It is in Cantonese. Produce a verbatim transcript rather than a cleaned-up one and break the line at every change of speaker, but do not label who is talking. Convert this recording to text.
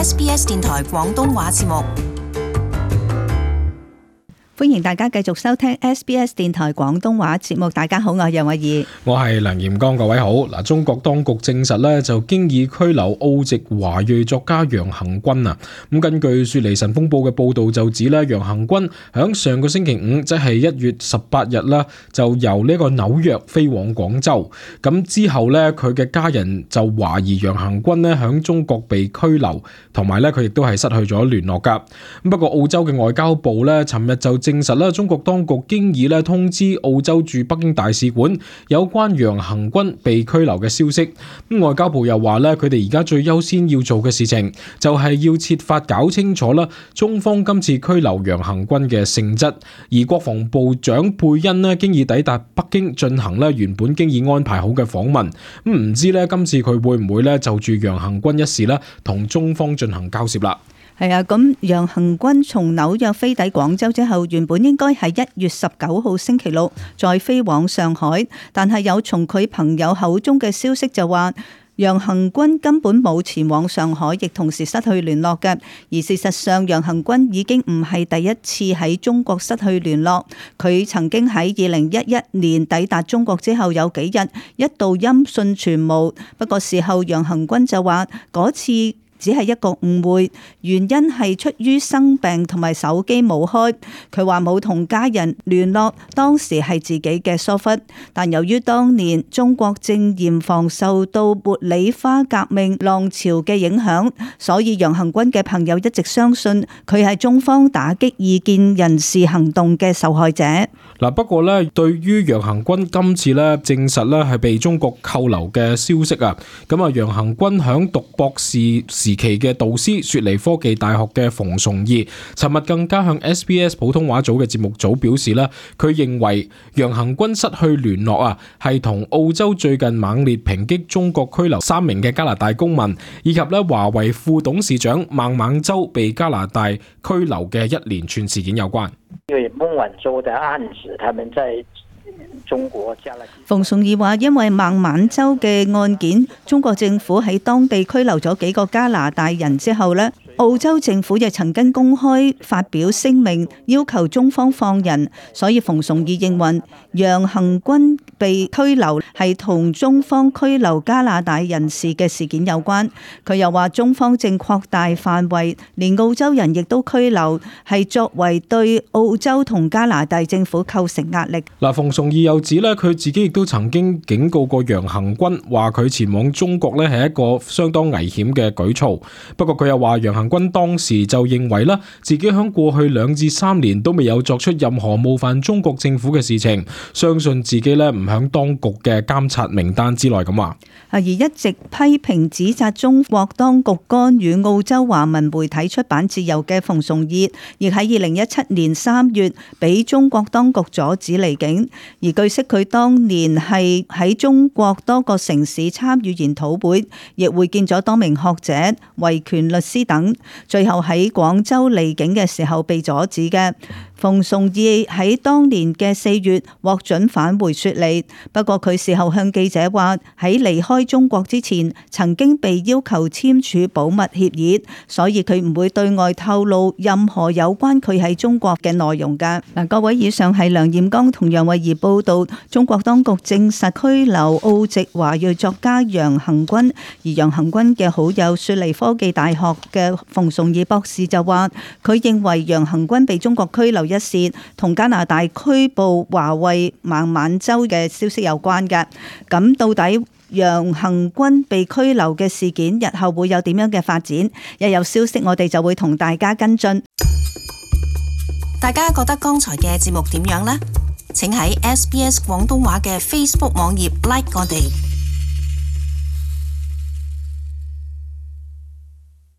S B S 電台廣東話節目。
歡迎大家繼續收聽 S B S 電台廣東話節目。大家好，我係楊慧儀，
我係梁炎剛，各位好。嗱，中國當局證實咧，就經已拘留澳籍華裔作家楊恆均啊。咁根據雪梨晨鋒報嘅報道就指咧，楊恆均響上個星期五，即係一月十八日啦，就由呢個紐約飛往廣州。咁之後咧，佢嘅家人就懷疑楊恆均咧響中國被拘留，同埋咧佢亦都係失去咗聯絡噶。咁不過澳洲嘅外交部咧，尋日就證實啦，中國當局經已咧通知澳洲駐北京大使館有關楊恆均被拘留嘅消息。咁外交部又話咧，佢哋而家最優先要做嘅事情就係要設法搞清楚啦，中方今次拘留楊恆均嘅性質。而國防部長佩恩咧經已抵達北京進行咧原本經已安排好嘅訪問。咁唔知咧今次佢會唔會咧就住楊恆均一事咧同中方進行交涉啦？
係啊，咁楊恆均從紐約飛抵廣州之後，原本應該係一月十九號星期六再飛往上海，但係有從佢朋友口中嘅消息就話，楊恆均根本冇前往上海，亦同時失去聯絡嘅。而事實上，楊恆均已經唔係第一次喺中國失去聯絡。佢曾經喺二零一一年抵達中國之後有幾日一度音訊全無，不過事後楊恆均就話嗰次只係一個誤會，原因係出於生病同埋手機冇開。佢話冇同家人聯絡，當時係自己嘅疏忽。但由於當年中國正嚴防受到茉莉花革命浪潮嘅影響，所以楊恆均嘅朋友一直相信佢係中方打擊異見人士行動嘅受害者。
嗱，不過咧，對於楊恆均今次咧證實咧係被中國扣留嘅消息啊，咁啊楊恆均響讀博士時期嘅導師雪梨科技大學嘅馮崇義，尋日更加向 S B S 普通話組嘅節目組表示啦，佢認為楊恆均失去聯絡啊，係同澳洲最近猛烈抨擊中國拘留三名嘅加拿大公民，以及咧華為副董事長孟晚舟被加拿大拘留嘅一連串事件有關。
因為孟晚舟的案子，他們在中國加了。
馮崇義話，因為孟晚舟嘅案件，中國政府喺當地拘留咗幾個加拿大人之後呢，澳洲政府亦曾經公開發表聲明，要求中方放人。所以馮崇義認為楊恆均被拘留係同中方拘留加拿大人士嘅事件有關。佢又話中方正擴大範圍，連澳洲人亦都拘留，係作為對澳洲同加拿大政府構成壓力。
嗱，馮崇義又指咧，佢自己亦都曾經警告過楊恆均，話佢前往中國咧係一個相當危險嘅舉措。不過佢又話楊恆均當時就認為啦，自己響過去兩至三年都未有作出任何冒犯中國政府嘅事情，相信自己咧唔響當局嘅監察名單之內咁話。
而一直批評指責中國當局干預澳洲華文媒體出版自由嘅馮崇義，亦喺二零一七年三月俾中國當局阻止離境。而據悉佢當年係喺中國多個城市參與研討會，亦會見咗多名學者、維權律師等，最後喺廣州離境嘅時候被阻止嘅。馮崇義喺當年嘅四月獲准返回雪梨，不過佢事後向記者話喺離開中國之前曾經被要求簽署保密協議，所以佢唔會對外透露任何有關佢喺中國嘅內容㗎。嗱，各位，以上係梁炎剛同楊慧儀報道，中國當局證實拘留澳籍華裔作家楊恆均，而楊恆均嘅好友雪梨科技大學嘅馮崇義博士就話，佢認為楊恆均被中國拘留一事同加拿大拘捕華為孟晚舟嘅消息有關嘅。咁到底楊恆均被拘留嘅事件日後會有點樣嘅發展？一有消息我哋就會同大家跟進。
大家覺得剛才嘅節目點樣呢？請喺 S B S 廣東話嘅 Facebook 網頁 like 我哋。